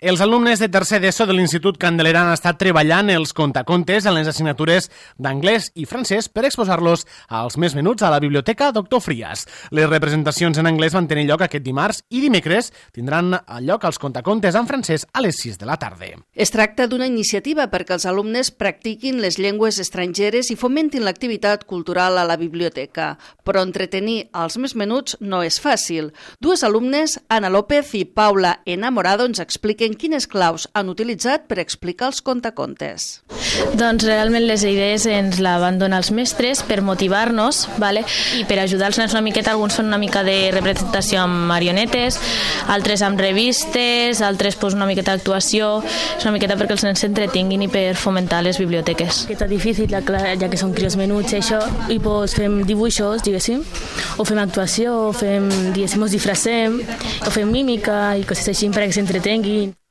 Els alumnes de tercer d'ESO de l'Institut Candelera han estat treballant els contacontes en les assignatures d'anglès i francès per exposar-los als més menuts a la Biblioteca Doctor Frias. Les representacions en anglès van tenir lloc aquest dimarts i dimecres tindran lloc els contacontes en francès a les 6 de la tarda. Es tracta d'una iniciativa perquè els alumnes practiquin les llengües estrangeres i fomentin l'activitat cultural a la biblioteca. Però entretenir els més menuts no és fàcil. Dues alumnes, Ana López i Paula Enamorado, ens expliquen quines claus han utilitzat per explicar els contacontes. Doncs realment les idees ens la van donar els mestres per motivar-nos, i per ajudar els nens una miqueta. Alguns fan una mica de representació amb marionetes, altres amb revistes, altres una miqueta d'actuació. És una miqueta perquè els nens s'entretinguin i per fomentar les biblioteques. És difícil, ja que són crios menuts, això, i fem dibuixos, diguéssim, o fem actuació, o fem, diguéssim, ens disfracem, o fem mímica i coses així perquè s'entretenguin.